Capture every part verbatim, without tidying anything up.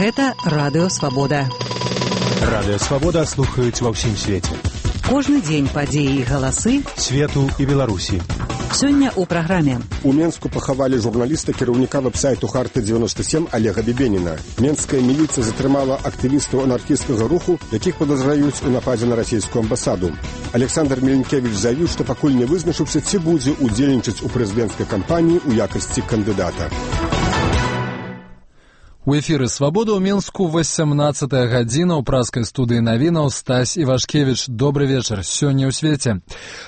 Гэта Радыё Свабода. Радыё Свабода слухаюць ва ўсім свеце. Кожны дзень падзеі і галасы свету і Беларусі. Сёння ў праграме. У Менску пахавалі журналіста, кіраўніка вэб-сайту Харты дзевяносто сем Олега Бебеніна. Менская міліцыя затрымала актывістаў анархісцкага руху, якіх падазраюць у нападзе на расійскую амбасаду. Александр Меленкевич заявіў, што пакуль не вызначыўся, ці будзе удзельнічаць у прэзідэнцкай кампаніі ў якасці кандыдата. У эфіры «Свабода» ў Менску восемнадцатая гадзіна ў праскай студыі навінаў Стась Івашкевіч. Добры вечар. Сёння ў свеце.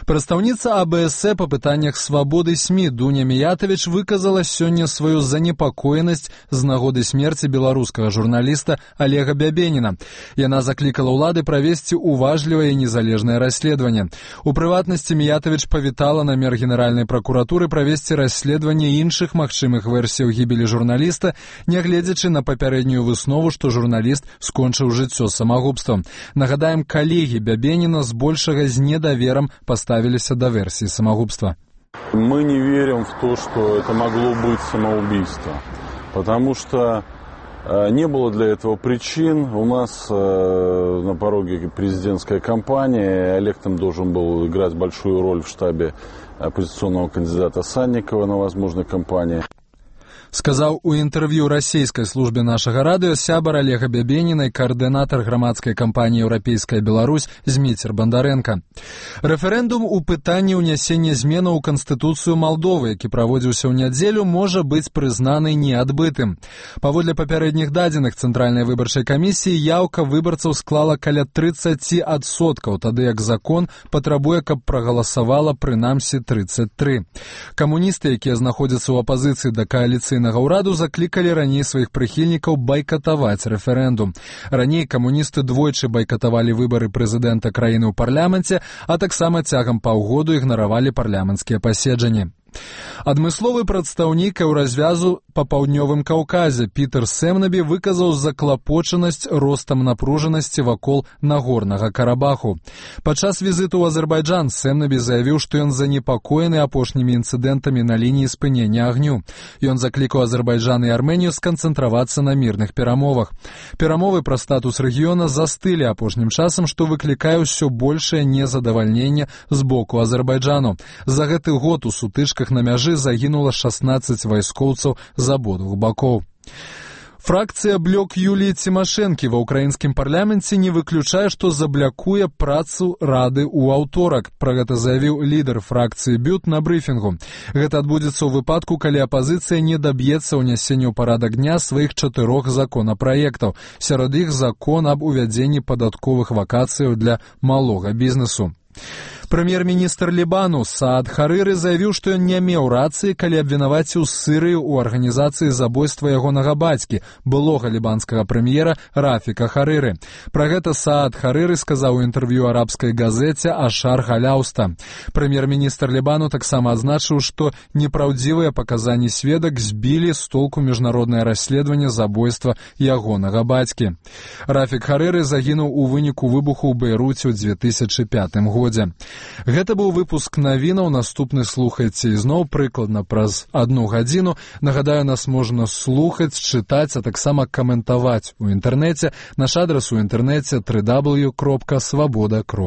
Прадстаўніца А Бэ Эс Э па пытаннях свабоды СМІ Дуня Міятавіч выказала сёння сваю занепакоенасць з нагоды смерці беларускага журналіста Олега Бебеніна. Яна заклікала ўлады правесці уважлівае і незалежнае расследаванне. У прыватнасці Міятавіч павітала намер Генеральнай пракуратуры правесці расследаванне іншых магчымых версіяў гібелі журналіста, нягледзячы на папярэднюю выснову, што журналіст скончыў жыццё самагубствам. Нагадаем, калегі Бебеніна збольшага з недаверам поставіліся да версіі самогубства. Мы не верим в то, что это могло быть самоубийство, потому что э, не было для этого причин. У нас э, на пороге президентская кампания, Олег там должен был играть большую роль в штабе оппозиционного кандидата Санникова на возможной кампании. Сказаў у інтэрв'ю расійскай службе нашага радыё сябар Олега Бебеніна і каардынатар грамадскай кампаніі «Еўрапейская Беларусь» Зміцер Бандарэнка. Рэферэндум у пытанні ўнясення зменаў у Канстытуцыю Малдовы, які праводзіўся ў нядзелю, можа быць прызнаны неадбытым. Паводле папярэдніх дадзеных Цэнтральнай выбарчай камісіі яўка выбарцаў склала каля трыццаць адсоткаў, тады як закон патрабуе, каб прагаласавала прынамсі трыццаць тры. Камуністы, якія знаходзяцца ў апазіцыі да кааліцыйнага ўраду, заклікалі раней сваіх прыхільнікаў байкатаваць рэферэндум. Раней камуністы двойчы байкатавалі выбары прэзідэнта краіны ў парламенце, а таксама цягам паўгоду ігнаравалі парламенцкія паседжанні. Адмысловы прадстаўнік Еўразвязу па паўднёвым Каўказе Пітер Сэмнабі выказаў заклапочанасць ростам напружанасці вакол Нагорнага Карабаху. Падчас візіту ў Азербайджан Сэмнабі заявіў, што ён занепакоены апошнімі інцыдэнтамі на лініі спынення агню. Ён заклікаў Азербайджан і Арменію сканцэнтравацца на мірных перамовах. Перамовы пра статус рэгіёна застылі апошнім часам, што выклікае ўсё большае незадавальненне з боку Азербайджану. За гэты год у сутычках на мяжы загінула шаснаццаць вайскоўцаў з абодвух бакоў. Фракцыя «Блок» Юліі Цімашэнкі ва ўкраінскім парламенце не выключае, што заблякуе працу Рады ў аўторак. Пра гэта заявіў лідар фракцыі «Бют» на брыфінгу. Гэта адбудзецца ў выпадку, калі апазіцыя не даб'ецца ўнясення ў парадак дня сваіх чатырох законапраектаў. Сярод іх закон аб увядзенні падатковых вакацыяў для малога бізнесу. Прэм'ер-міністр Лібану Саад Харыры заявіў, што ён не меў рацыі, калі абвінаваціў Сырыю ў арганізацыі забойства ягонага бацькі, былога лібанскага прэм'ера Рафіка Харыры. Пра гэта Саад Харыры сказаў у інтэрв'ю арабскай газеце «Ашар Галяуста». Прэм'ер-міністр Лібану таксама адзначыў, што непраўдзівыя паказанні сведак збілі з толку міжнароднае расследаванне забойства ягонага бацькі. Рафік Харыры загінуў у выніку выбуху ў Бейруце ў дзве тысячы пятым годзе. Гэта быў выпуск навінаў, наступны слухайце ізноў прыкладна праз адну гадзіну. Нагадаю, нас можна слухаць, чытаць, а таксама каментаваць у інтэрнэце. Наш адрас у інтэрнэце дабл ю дабл ю дабл ю кропка свабода кропка